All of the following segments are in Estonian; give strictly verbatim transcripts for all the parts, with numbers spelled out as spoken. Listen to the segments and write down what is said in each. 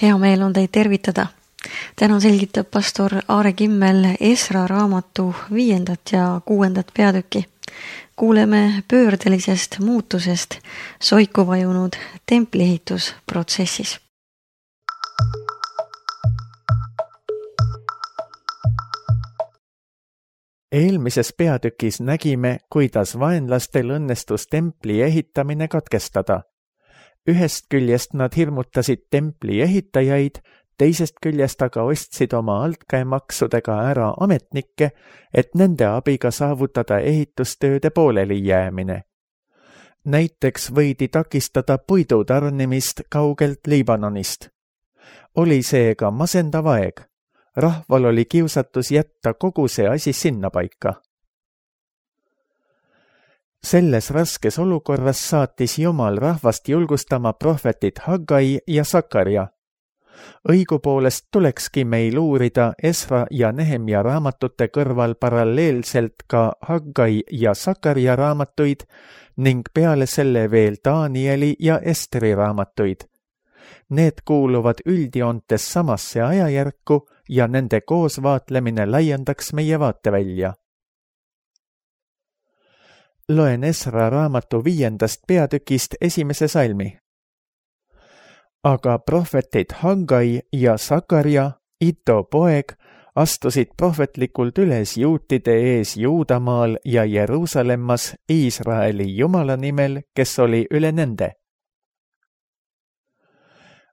Hea meel on teid tervitada. Täna selgitab pastor Aare Kimmel Esra raamatu viiendat ja kuuendat peatükki. Kuuleme pöördelisest muutusest soiku vajunud templiehitusprotsessis. Eelmises peatükis nägime, kuidas vaenlastel õnnestus templi ehitamine katkestada. Ühest küljest nad hirmutasid templi ehitajaid, teisest küljest aga ostsid oma altkäemaksudega ära ametnikke, et nende abiga saavutada ehitustööde pooleli jäämine. Näiteks võidi takistada puidu tarnimist kaugelt Liibanonist. Oli seega masendav aeg. Rahval oli kiusatus jätta kogu see asi sinna paika. Selles raskes olukorras saatis Jumal rahvast julgustama prohvetit Haggai ja Sakarja. Õigupoolest tulekski meil uurida Esra ja Nehemia raamatute kõrval paralleelselt ka Haggai ja Sakarja raamatuid ning peale selle veel Danieli ja Esteri raamatuid. Need kuuluvad üldjoontes samasse ajajärku ja nende koosvaatlemine laiendaks meie vaatevälja. Loen Esra raamatu viiendast peatükist esimese salmi. Aga prohvetid Haggai ja Sakarja, Ito poeg, astusid prohvetlikult üles juutide ees Juudamaal ja Jeruusalemmas Iisraeli Jumala nimel, kes oli üle nende.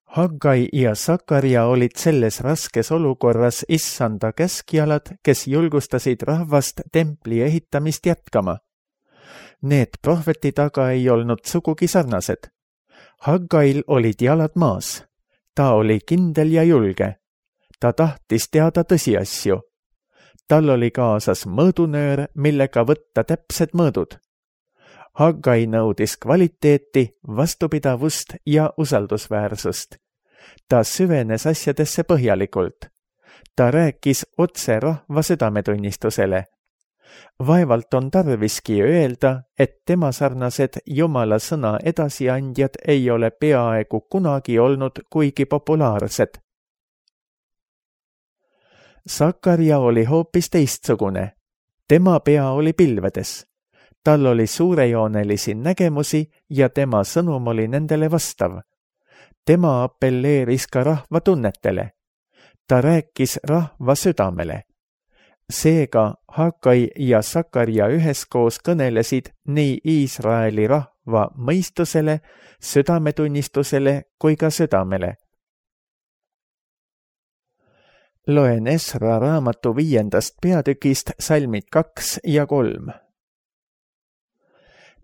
Haggai ja Sakarja olid selles raskes olukorras issanda käskjalad, kes julgustasid rahvast templi ehitamist jätkama. Need prohvetid aga ei olnud sugugi sarnased. Haggail olid jalad maas. Ta oli kindel ja julge. Ta tahtis teada tõsiasju. Tal oli kaasas mõõdunöör, millega võtta täpsed mõõdud. Haggai nõudis kvaliteeti, vastupidavust ja usaldusväärsust. Ta süvenes asjadesse põhjalikult. Ta rääkis otse rahva südametunnistusele. Vaevalt on tarviski öelda, et tema sarnased Jumala sõna edasiandjad ei ole peaaegu kunagi olnud kuigi populaarsed. Sakarja oli hoopis teistsugune. Tema pea oli pilvedes. Tal oli suurejoonelisi nägemusi ja tema sõnum oli nendele vastav. Tema appelleeris ka rahva tunnetele. Ta rääkis rahva südamele. Seega Haggai ja Sakarja üheskoos kõnelesid nii Iisraeli rahva mõistusele, südametunnistusele kui ka südamele. Loen Esra raamatu viiendast peatükist salmid kaks ja kolm.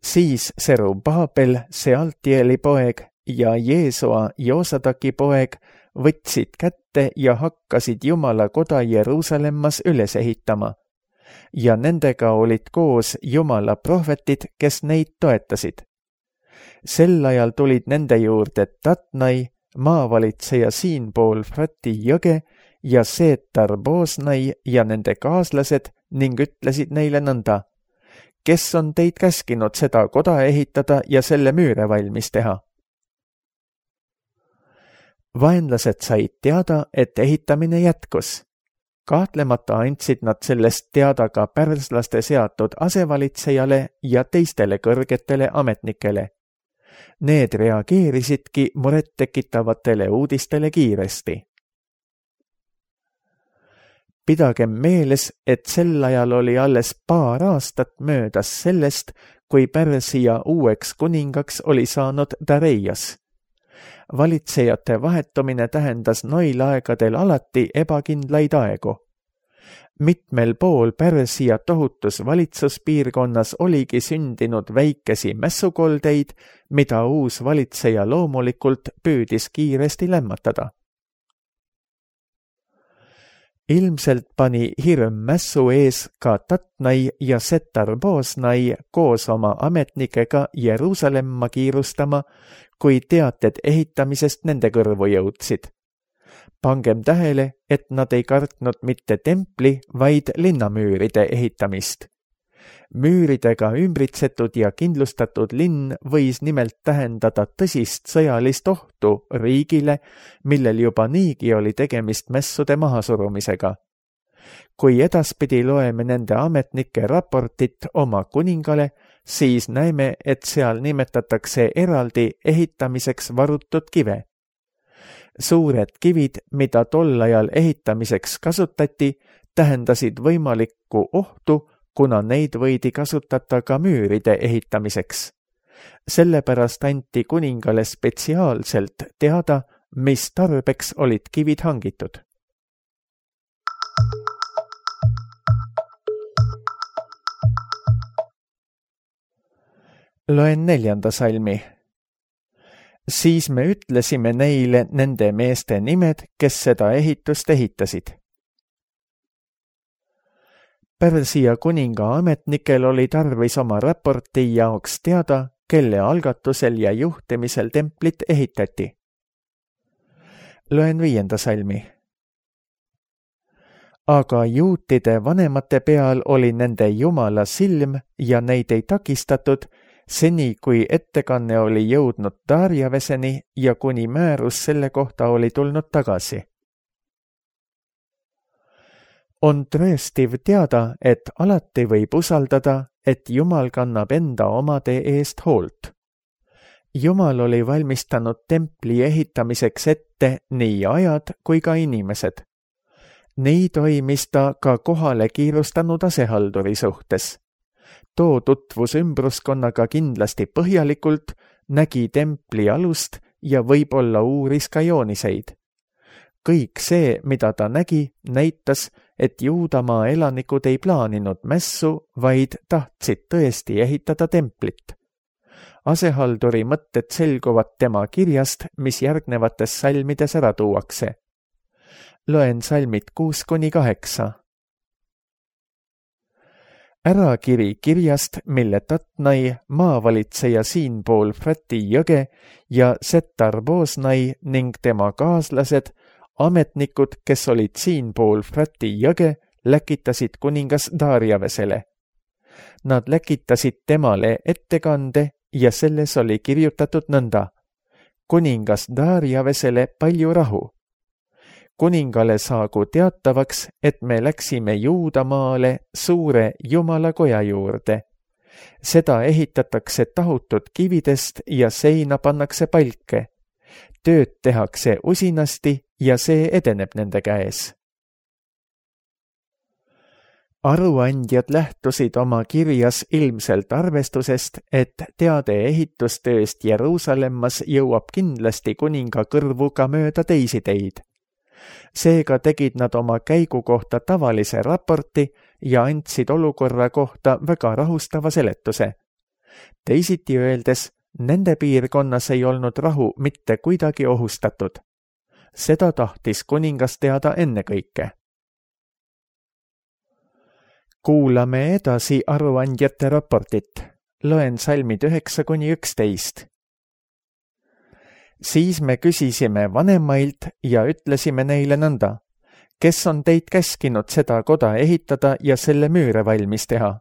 Siis Serubaabel, Sealtieli poeg, ja Jeesua, Joosadaki poeg, võtsid kätte ja hakkasid Jumala koda Jeruusalemmas üles ehitama. Ja nendega olid koos Jumala prohvetid, kes neid toetasid. Sel ajal tulid nende juurde Tatnai, maavalitseja siinpool Frati jõge, ja Seetar Boosnai ja nende kaaslased ning ütlesid neile nõnda. Kes on teid käskinud seda koda ehitada ja selle müüre valmis teha? Vaenlased said teada, et ehitamine jätkus. Kahtlemata andsid nad sellest teada ka pärslaste seatud asevalitsejale ja teistele kõrgetele ametnikele. Need reageerisidki murettekitavatele uudistele kiiresti. Pidagem meeles, et sel ajal oli alles paar aastat möödas sellest, kui Pärsia uueks kuningaks oli saanud Dareias. Valitsejate vahetumine tähendas noil aegadel alati ebakindlaid aegu. Mitmel pool Pärsia tohutus valitsuspiirkonnas oligi sündinud väikesi mässukoldeid, mida uus valitseja loomulikult püüdis kiiresti lämmatada. Ilmselt pani hirm mässu ees ka Tatnai ja Setar Boosnai koos oma ametnikega Jeruusalemma kiirustama, kui teated ehitamisest nende kõrvu jõudsid. Pangem tähele, et nad ei kartnud mitte templi, vaid linnamüüride ehitamist. Müüridega ümbritsetud ja kindlustatud linn võis nimelt tähendada tõsist sõjalist ohtu riigile, millel juba niigi oli tegemist mässude mahasurumisega. Kui edaspidi loeme nende ametnike raportit oma kuningale, siis näeme, et seal nimetatakse eraldi ehitamiseks varutud kive. Suured kivid, mida tol ajal ehitamiseks kasutati, tähendasid võimalikku ohtu, kuna neid võidi kasutada ka müüride ehitamiseks. Sellepärast anti kuningale spetsiaalselt teada, mis tarbeks olid kivid hangitud. Loen neljanda salmi. Siis me ütlesime neile nende meeste nimed, kes seda ehitust ehitasid. Pärsia kuninga ametnikel oli tarvis oma raporti jaoks teada, kelle algatusel ja juhtimisel templit ehitati. Loen viienda salmi. Aga juutide vanemate peal oli nende Jumala silm ja neid ei takistatud, seni kui ettekanne oli jõudnud Darjaveseni ja kuni määrus selle kohta oli tulnud tagasi. On tõestiv teada, et alati võib usaldada, et Jumal kannab enda omade eest hoolt. Jumal oli valmistanud templi ehitamiseks ette nii ajad kui ka inimesed. Nii toimis ta ka kohale kiirustanud asehalduri suhtes. Too tutvus ümbruskonnaga kindlasti põhjalikult, nägi templi alust ja võib-olla uuris ka jooniseid. Kõik see, mida ta nägi, näitas, et Juudamaa elanikud ei plaaninud mässu, vaid tahtsid tõesti ehitada templit. Asehalduri mõtted selguvad tema kirjast, mis järgnevates salmides ära tuuakse. Loen salmid kuus kuni kaheksa. Ärakiri kirjast, mille Tatnai, maavalitseja siinpool Frati jõge ja Setar-Bosnai ning tema kaaslased, ametnikud, kes olid siinpool Frati jõge, läkitasid kuningas Darjavesele. Nad läkitasid temale ettekande ja selles oli kirjutatud nõnda. Kuningas Darjavesele palju rahu. Kuningale saagu teatavaks, et me läksime Juudamaale suure Jumalakoja juurde. Seda ehitatakse tahutud kividest ja seina pannakse palke. Tööd tehakse usinasti ja see edeneb nende käes. Aruandjad lähtusid oma kirjas ilmselt arvestusest, et teade ehitustööst Jeruusalemmas jõuab kindlasti kuninga kõrvu ka mööda teisi teid. Seega tegid nad oma käigu kohta tavalise raporti ja andsid olukorra kohta väga rahustava seletuse. Teisiti öeldes, nende piirkonnas ei olnud rahu mitte kuidagi ohustatud. Seda tahtis kuningas teada ennekõike. Kuulame edasi aruandjate raportit. Loen salmid üheksa kuni üksteist. Siis me küsisime vanemailt ja ütlesime neile nõnda. Kes on teid käskinud seda koda ehitada ja selle müüre valmis teha?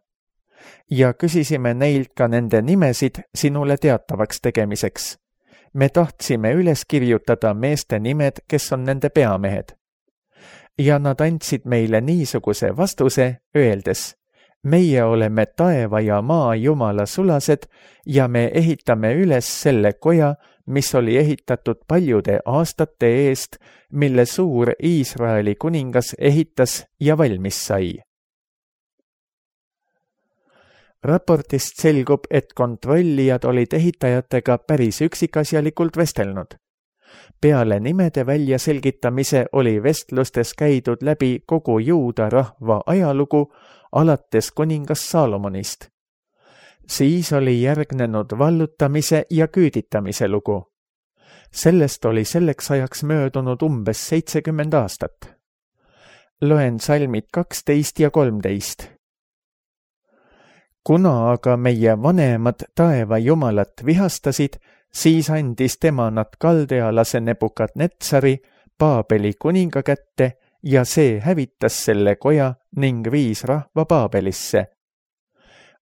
Ja küsisime neilt ka nende nimesid sinule teatavaks tegemiseks. Me tahtsime üles kirjutada meeste nimed, kes on nende peamehed. Ja nad andsid meile niisuguse vastuse, öeldes, meie oleme taeva ja maa Jumala sulased ja me ehitame üles selle koja, mis oli ehitatud paljude aastate eest, mille suur Iisraeli kuningas ehitas ja valmis sai. Raportist selgub, et kontrollijad olid ehitajatega päris üksikasjalikult vestelnud. Peale nimede väljaselgitamise oli vestlustes käidud läbi kogu Juuda rahva ajalugu alates kuningas Saalomonist. Siis oli järgnenud vallutamise ja küüditamise lugu. Sellest oli selleks ajaks möödunud umbes seitsekümmend aastat. Loen salmid kaksteist ja kolmteist. Kuna aga meie vanemad taeva Jumalat vihastasid, siis andis tema nad kaldealase Nebukadnetsari Paabeli kuninga kätte ja see hävitas selle koja ning viis rahva Paabelisse.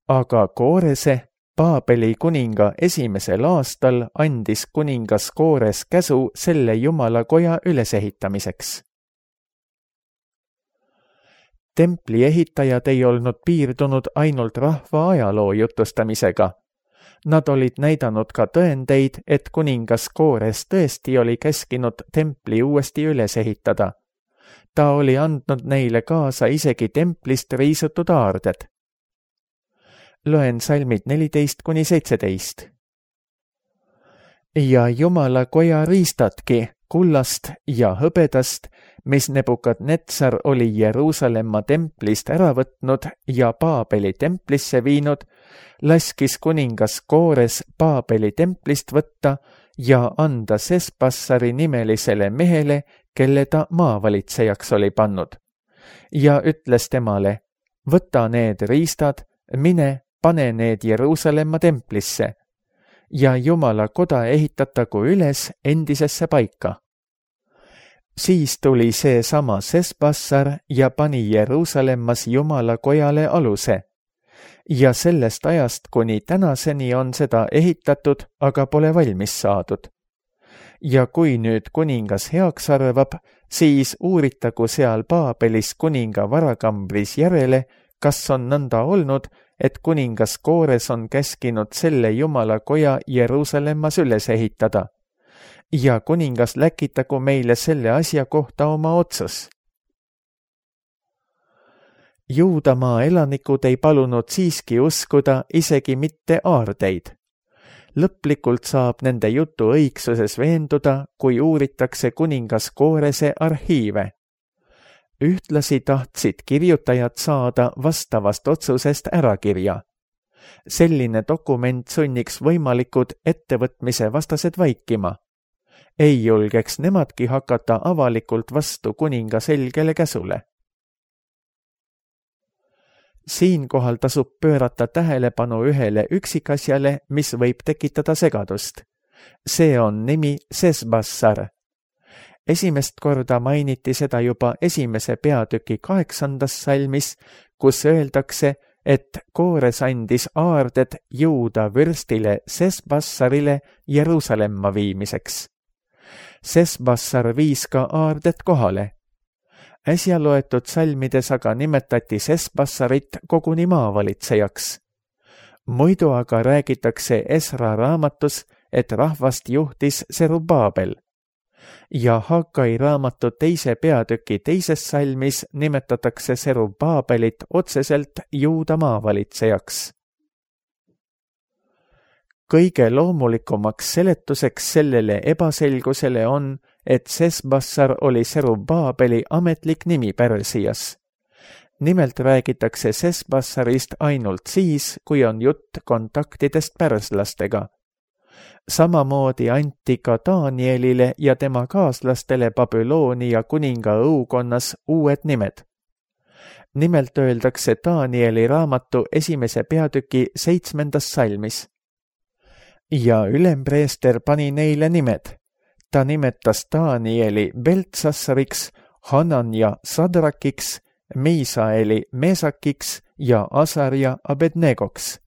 aga Koorese, Paabeli kuninga esimesel aastal andis kuningas Koores käsu selle jumalakoja ülesehitamiseks. Templi ehitajad ei olnud piirdunud ainult rahva ajaloo jutustamisega. Nad olid näidanud ka tõendeid, et kuningas Koores tõesti oli käskinud templi uuesti üles ehitada. Ta oli andnud neile kaasa isegi templist riisutud aarded. Loen salmid neliteist kuni seitseteist. Ja Jumala koja riistatki kullast ja hõbedast, mis Nebukadnetsar oli Jeruusalemma templist ära võtnud ja Paabeli templisse viinud, laskis kuningas Koores Paabeli templist võtta ja anda Sesbassari nimelisele mehele, kelle ta maavalitsejaks oli pannud. Ja ütles temale, võta need riistad, mine, pane need Jeruusalemma templisse ja Jumala koda ehitatagu üles endisesse paika. Siis tuli see sama Sesbassar ja pani Jeruusalemmas Jumala kojale aluse. Ja sellest ajast kuni tänaseni on seda ehitatud, aga pole valmis saadud. Ja kui nüüd kuningas heaks arvab, siis uuritagu seal Paabelis kuninga varakambris järele, kas on nõnda olnud, et kuningas Koores on käskinud selle Jumala koja Jeruusalemmas üles ehitada. Ja kuningas läkitagu meile selle asja kohta oma otsas. Juudamaa elanikud ei palunud siiski uskuda isegi mitte aardeid. Lõplikult saab nende jutu õigsuses veenduda, kui uuritakse kuningas Koorese arhiive. Ühtlasi tahtsid kirjutajad saada vastavast otsusest ärakirja. Selline dokument sunniks võimalikud ettevõtmise vastased vaikima. Ei julgeks nemadki hakata avalikult vastu kuninga selgele käsule. Siinkohal tasub pöörata tähelepanu ühele üksikasjale, mis võib tekitada segadust. See on nimi Sesbassar. Esimest korda mainiti seda juba esimese peatüki kaheksandas salmis, kus öeldakse, et Koores andis aarded Juuda vürstile Sesbassarile Jeruusalemma viimiseks. Sesbassar viis ka aarded kohale. Äsja loetud salmides aga nimetati Sesbassarit koguni maavalitsejaks. Muidu aga räägitakse Esra raamatus, et rahvast juhtis Serubaabel. Ja Hagai raamatu teise peatüki teises salmis nimetatakse Serubaabelit otseselt Juuda maavalitsejaks. Kõige loomulikumaks seletuseks sellele ebaselgusele on, et Sesbassar oli Serubaabeli ametlik nimi Pärsias. Nimelt räägitakse Sesbassarist ainult siis, kui on jutt kontaktidest pärslastega. Samamoodi anti ka Danielile ja tema kaaslastele Babyloonia kuninga õukonnas uued nimed. Nimelt öeldakse Danieli raamatu esimese peatüki seitsmendas salmis. Ja ülempreester pani neile nimed. Ta nimetas Danieli Beltsassariks, Hananja Sadrakiks, Miisaeli Meesakiks ja Asarja Abednegoks.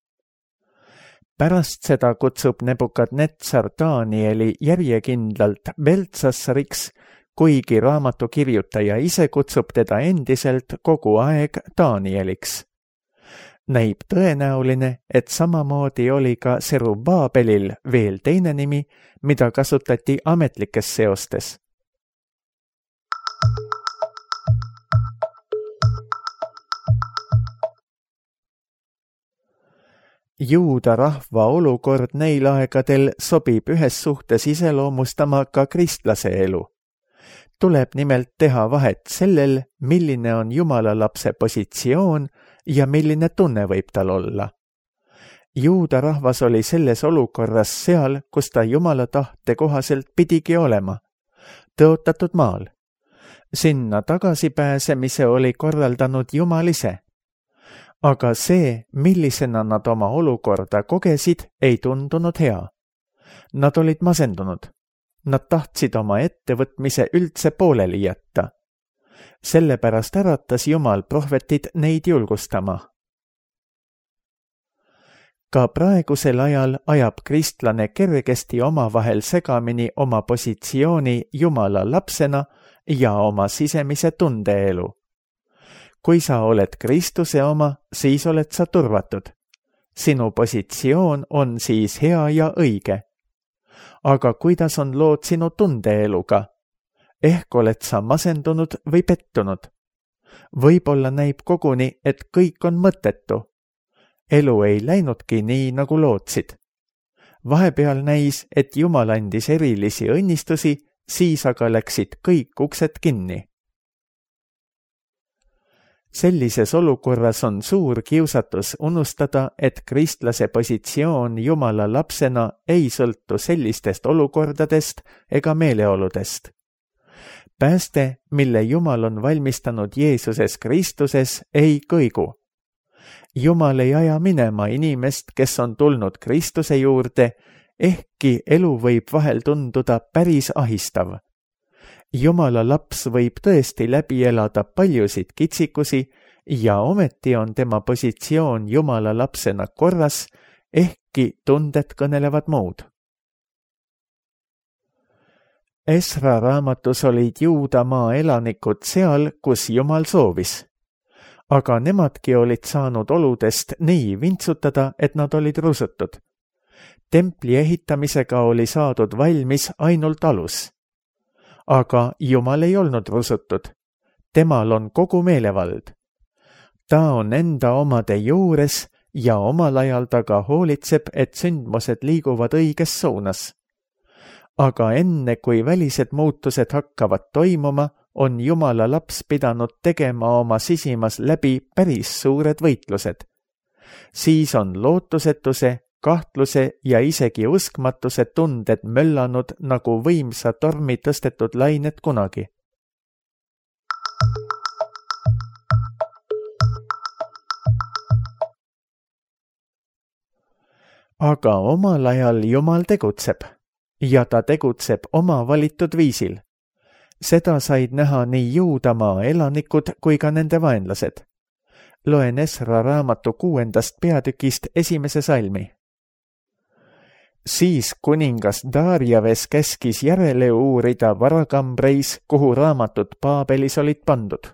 Pärast seda kutsub Nebukadnetsar Danieli järjekindlalt Beltsassariks, kuigi raamatu kirjutaja ise kutsub teda endiselt kogu aeg Danieliks. Näib tõenäoline, et samamoodi oli ka Serubaabelil veel teine nimi, mida kasutati ametlikes seostes. Juuda rahva olukord neil aegadel sobib ühes suhtes iseloomustama ka kristlase elu. Tuleb nimelt teha vahet sellel, milline on Jumala lapse positsioon ja milline tunne võib tal olla. Juuda rahvas oli selles olukorras seal, kus ta Jumala tahte kohaselt pidigi olema, tõotatud maal. Sinna tagasipääsemise oli korraldanud Jumal ise. Aga see, millisena nad oma olukorda kogesid, ei tundunud hea. Nad olid masendunud. Nad tahtsid oma ettevõtmise üldse pooleli jätta. Sellepärast äratas Jumal prohvetid neid julgustama. Ka praegusel ajal ajab kristlane kergesti omavahel segamini oma positsiooni Jumala lapsena ja oma sisemise tundeelu. Kui sa oled Kristuse oma, siis oled sa turvatud. Sinu positsioon on siis hea ja õige. Aga kuidas on lood sinu tundeeluga? Ehk oled sa masendunud või pettunud? Võib-olla näib koguni, et kõik on mõttetu. Elu ei läinudki nii, nagu lootsid. Vahepeal näis, et Jumal andis erilisi õnnistusi, siis aga läksid kõik uksed kinni. Sellises olukorras on suur kiusatus unustada, et kristlase positsioon Jumala lapsena ei sõltu sellistest olukordadest ega meeleoludest. Pääste, mille Jumal on valmistanud Jeesuses Kristuses, ei kõigu. Jumal ei aja minema inimest, kes on tulnud Kristuse juurde, ehkki elu võib vahel tunduda päris ahistav. Jumala laps võib tõesti läbi elada paljusid kitsikusi ja ometi on tema positsioon Jumala lapsena korras, ehkki tunded kõnelevad muud. Esra raamatus olid Juudamaa elanikud seal, kus Jumal soovis. Aga nemadki olid saanud oludest nii vintsutada, et nad olid rusutud. Templi ehitamisega oli saadud valmis ainult alus. Aga Jumal ei olnud rusutud. Temal on kogu meelevald. Ta on enda omade juures ja omal ajal taga hoolitseb, et sündmused liiguvad õiges suunas. Aga enne, kui välised muutused hakkavad toimuma, on Jumala laps pidanud tegema oma sisimas läbi päris suured võitlused. Siis on lootusetuse, kahtluse ja isegi uskmatuse tunded möllanud nagu võimsa tormi tõstetud lained kunagi. Aga omal ajal Jumal tegutseb ja ta tegutseb oma valitud viisil. Seda said näha nii Juudamaa elanikud kui ka nende vaenlased. Loen Esra raamatu kuuendast peatükist esimese salmi. Siis kuningas Darjaves käskis järele uurida varakambreis, kuhu raamatud Paabelis olid pandud.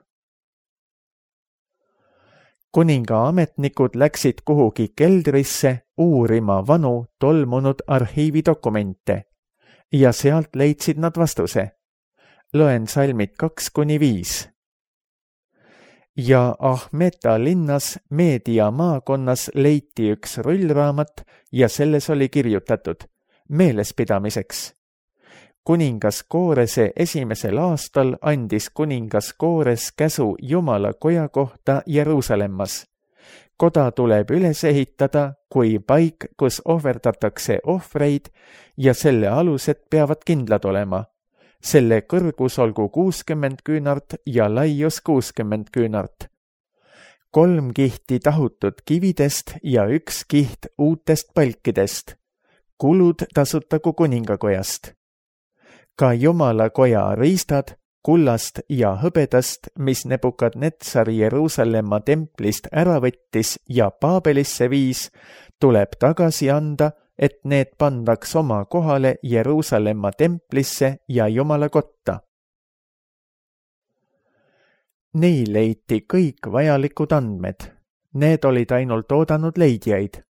Kuninga ametnikud läksid kuhugi keldrisse uurima vanu tolmunud arhiividokumente ja sealt leidsid nad vastuse. Loen salmid kaks kuni viis. Ja Ahmeta linnas Meedia maakonnas leiti üks rullraamat ja selles oli kirjutatud meelespidamiseks. Kuningas Koorese esimesel aastal andis kuningas Koores käsu Jumala koja kohta Jeruusalemmas. Koda tuleb üles ehitada kui paik, kus ohverdatakse ohvreid ja selle alused peavad kindlad olema. Selle kõrgus olgu kuuskümmend küünart ja laius kuuskümmend küünart. Kolm kihti tahutud kividest ja üks kiht uutest palkidest. Kulud tasutagu kuningakojast. Ka Jumala koja riistad, kullast ja hõbedast, mis Nebukadnetsar Jeruusalemma templist ära võttis ja Paabelisse viis, tuleb tagasi anda, et need pandaks oma kohale Jeruusalemma templisse ja Jumala kotta. Neil leiti kõik vajalikud andmed. Need olid ainult oodanud leidjaid.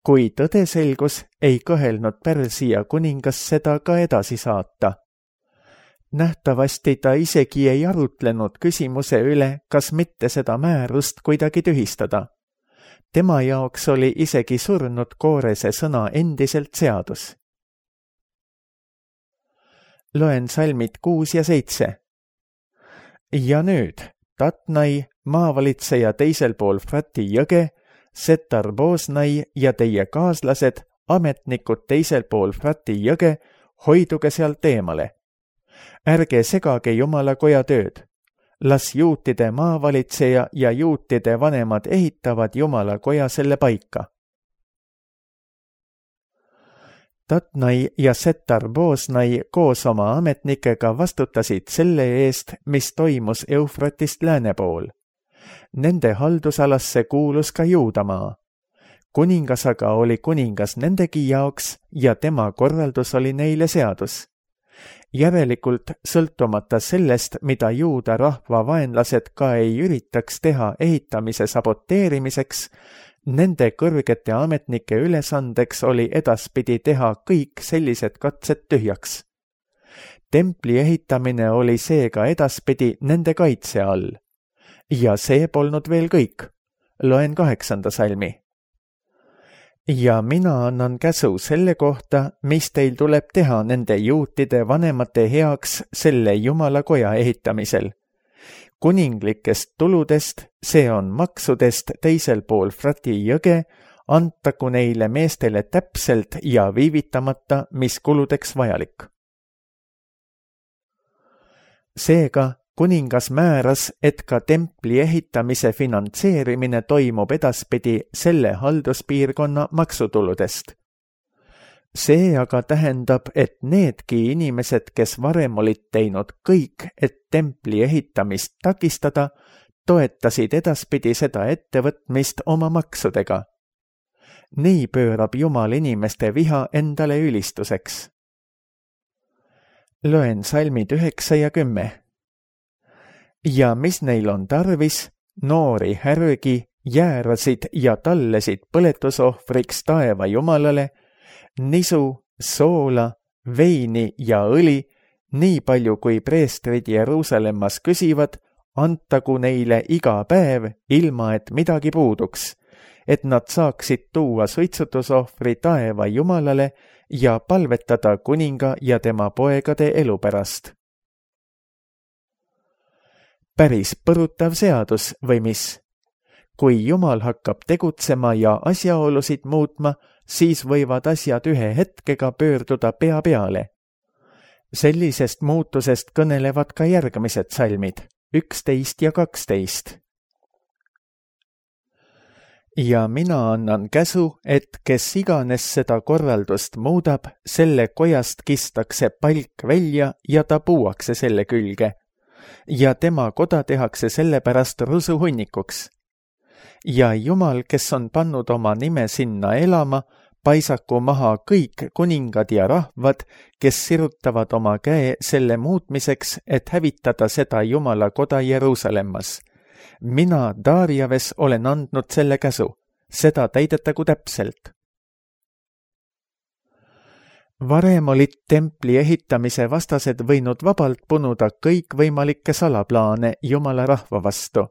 Kui tõde selgus, ei kõhelnud Pärsia kuningas seda ka edasi saata. Nähtavasti ta isegi ei arutlenud küsimuse üle, kas mitte seda määrust kuidagi tühistada. Tema jaoks oli isegi surnud Koorese sõna endiselt seadus. Loen salmid kuus ja seitse. Ja nüüd Tatnai, maavalitseja teisel pool Frati jõge, Setar-Boosnai ja teie kaaslased, ametnikud teisel pool Frati jõge, hoiduge sealt eemale. Ärge segage Jumala koja tööd. Las juutide maavalitseja ja juutide vanemad ehitavad Jumala koja selle paika. Tatnai ja Setar-Boosnai koos oma ametnikega vastutasid selle eest, mis toimus Eufratist lääne pool. Nende haldusalasse kuulus ka Juudamaa. kuningas aga oli kuningas nendegi jaoks ja tema korraldus oli neile seadus. Järelikult, sõltumata sellest, mida juuda rahva vaenlased ka ei üritaks teha ehitamise saboteerimiseks, nende kõrgete ametnike ülesandeks oli edaspidi teha kõik sellised katsed tühjaks. Templi ehitamine oli seega edaspidi nende kaitse all. Ja see polnud veel kõik. Loen kaheksanda salmi. Ja mina annan käsu selle kohta, mis teil tuleb teha nende juutide vanemate heaks selle Jumala koja ehitamisel. Kuninglikest tuludest, see on maksudest teisel pool Frati jõge, antaku neile meestele täpselt ja viivitamata, mis kuludeks vajalik. Seega, kuningas määras, et ka templi ehitamise finantseerimine toimub edaspidi selle halduspiirkonna maksutuludest. See aga tähendab, et needki inimesed, kes varem olid teinud kõik, et templi ehitamist takistada, toetasid edaspidi seda ettevõtmist oma maksudega. Nii pöörab Jumal inimeste viha endale ülistuseks. Loen salmid üheksa ja kümme. Ja mis neil on tarvis, noori härgi, jäärasid ja tallesid põletusohvriks taeva Jumalale, nisu, soola, veini ja õli, nii palju kui preestrid Jeruusalemmas küsivad, antagu neile iga päev, ilma et midagi puuduks, et nad saaksid tuua suitsutusohvri taeva Jumalale ja palvetada kuninga ja tema poegade elu pärast. Päris põrutav seadus või mis? Kui Jumal hakkab tegutsema ja asjaolusid muutma, siis võivad asjad ühe hetkega pöörduda pea peale. Sellisest muutusest kõnelevad ka järgmised salmid, üksteist ja kaksteist. Ja mina annan käsu, et kes iganes seda korraldust muudab, selle kojast kistakse palk välja ja ta puuakse selle külge. Ja tema koda tehakse sellepärast rusuhunnikuks. Ja Jumal, kes on pannud oma nime sinna elama, paisaku maha kõik kuningad ja rahvad, kes sirutavad oma käe selle muutmiseks, et hävitada seda Jumala koda Jeruusalemmas. Mina, Darjaves, olen andnud selle käsu. Seda täidetagu täpselt. Varem olid templi ehitamise vastased võinud vabalt punuda kõikvõimalikke salaplaane Jumala rahva vastu.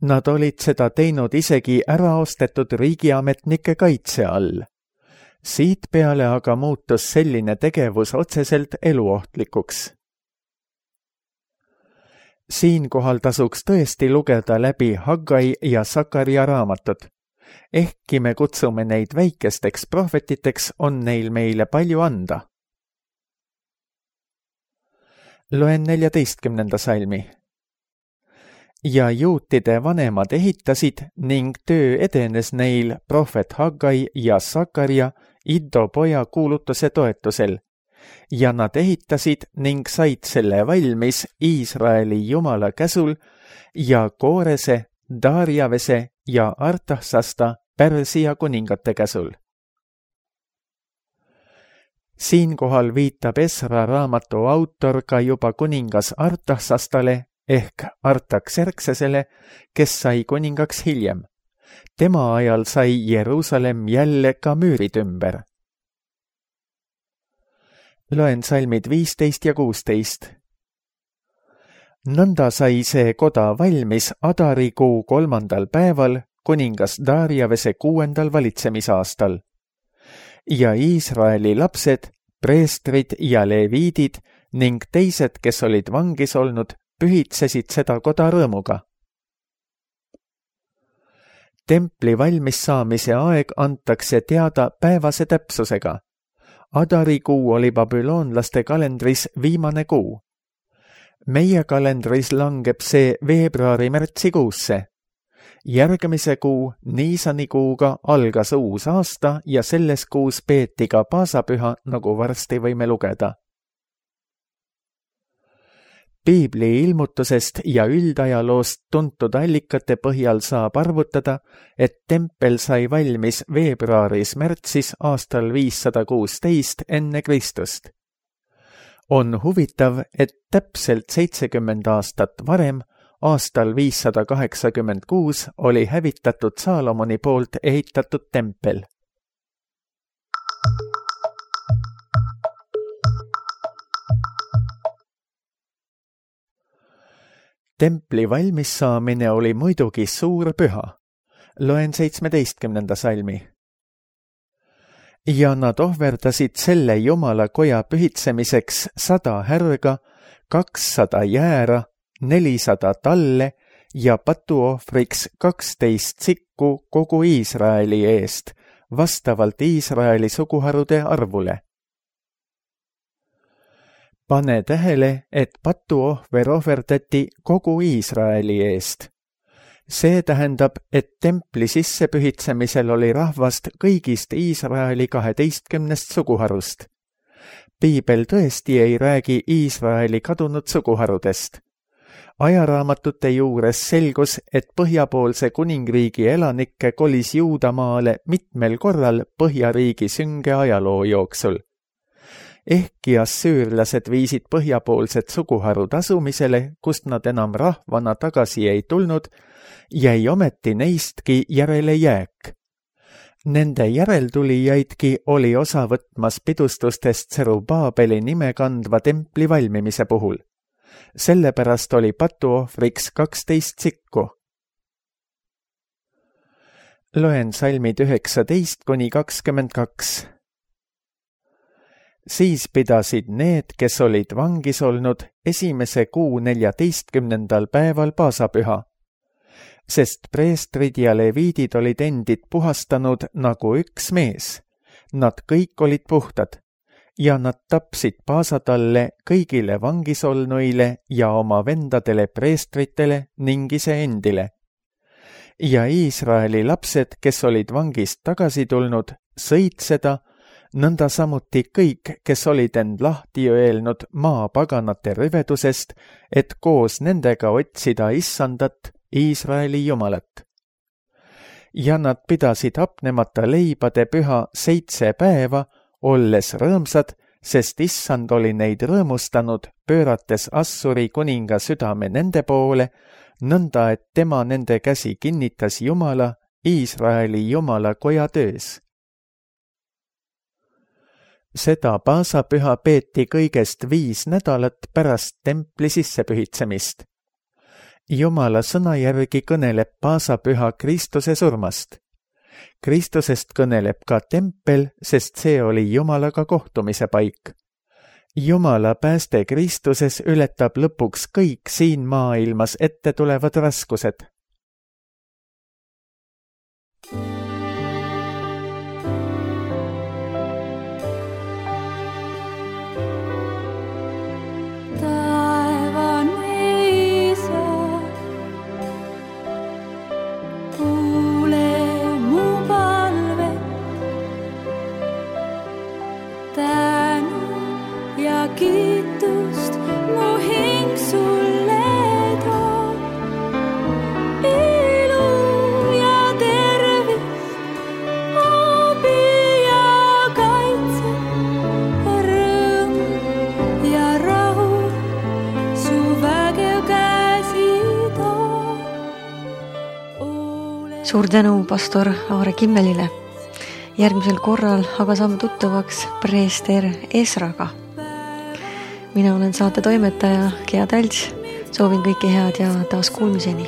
Nad olid seda teinud isegi äraostetud riigiametnike kaitse all. Siit peale aga muutus selline tegevus otseselt eluohtlikuks. Siinkohal tasuks tõesti lugeda läbi Haggai ja Sakaria raamatud. Ehkki me kutsume neid väikesteks prohvetiteks, on neil meile palju anda. Loen neljateistkümnenda salmi. Ja juutide vanemad ehitasid ning töö edenes neil prohvet Haggai ja Sakaria Iddo poja kuulutuse toetusel. Ja nad ehitasid ning said selle valmis Iisraeli Jumala käsul ja Koorese, Darjavese ja Artaxasta Pärsia kuningate käsul. Siinkohal viitab Esra raamatu autor ka juba kuningas Artaxastale ehk Artaxerxesele, kes sai kuningaks hiljem. Tema ajal sai Jeruusalemm jälle ka müürid ümber. Loen salmid viisteist ja kuusteist. Nõnda sai see koda valmis Adarikuu kolmandal päeval, kuningas Darjavese kuuendal valitsemisaastal. Ja Iisraeli lapsed, preestrid ja leviidid ning teised, kes olid vangis olnud, pühitsesid seda koda rõõmuga. Templi valmis saamise aeg antakse teada päevase täpsusega. Adarikuu oli babüloonlaste kalendris viimane kuu. Meie kalendris langeb see veebruari-märtsikuusse. Järgmise kuu, Niisanikuuga, algas uus aasta ja selles kuus peeti ka paasapüha, nagu varsti võime lugeda. Piibli ilmutusest ja üldajaloost tuntud allikate põhjal saab arvutada, et tempel sai valmis veebruaris-märtsis aastal viissada kuusteist enne Kristust. On huvitav, et täpselt seitsekümmend aastat varem, aastal viissada kaheksakümmend kuus, oli hävitatud Saalomoni poolt ehitatud tempel. Templi valmissaamine oli muidugi suur püha. Loen seitsmeteistkümnenda salmi. Ja nad ohverdasid selle Jumala koja pühitsemiseks sada härga, kakssada jäära, nelisada talle ja patuohvriks kaksteist sikku kogu Iisraeli eest, vastavalt Iisraeli suguharude arvule. Pane tähele, et patuohver ohverdati kogu Iisraeli eest. See tähendab, et templi sissepühitsemisel oli rahvast kõigist Iisraeli kaheteistkümnest suguharust. Piibel tõesti ei räägi Iisraeli kadunud suguharudest. Ajaraamatute juures selgus, et põhjapoolse kuningriigi elanikke kolis Juudamaale mitmel korral Põhjariigi sünge ajaloo jooksul. Ehkki assüürlased viisid põhjapoolsed suguharud asumisele, kust nad enam rahvana tagasi ei tulnud, jäi ometi neistki järele jääk. Nende järeltulijaidki oli osa võtmas pidustustest Serubaabeli nime kandva templi valmimise puhul. Sellepärast oli patuohvriks kaksteist sikku. Loen salmid üheksateist kuni kakskümmend kaks. Siis pidasid need, kes olid vangis olnud, esimese kuu neljateistkümnendal päeval paasapüha, sest preestrid ja leviidid olid endid puhastanud nagu üks mees. Nad kõik olid puhtad ja nad tapsid paasatalle kõigile vangisolnuile ja oma vendadele preestritele ning iseendile. Ja Iisraeli lapsed, kes olid vangist tagasi tulnud, sõid seda, nõnda samuti kõik, kes olid end lahti öelnud maapaganate rüvedusest, et koos nendega otsida issandat, Iisraeli Jumalat. Ja nad pidasid hapnemata leibade püha seitse päeva, olles rõõmsad, sest issand oli neid rõõmustanud, pöörates Assuri kuninga südame nende poole, nõnda et tema nende käsi kinnitas Jumala, Iisraeli Jumala koja töös. Seda paasapüha peeti kõigest viis nädalat pärast templi sissepühitsemist. Jumala sõna järgi kõneleb paasapüha Kristuse surmast. Kristusest kõneleb ka tempel, sest see oli Jumalaga kohtumise paik. Jumala pääste Kristuses ületab lõpuks kõik siin maailmas ette tulevad raskused. Kiitust mu hing sulle toob, ilu ja tervist, abi ja kaitse, rõõm ja rahu, su vägev käsi toob. Suur tänu pastor Aare Kimmelile. Järgmisel korral aga saame tuttavaks preester Esraga. Mina olen saate toimetaja Gea Tälts, soovin kõike head ja taas kuulmiseni.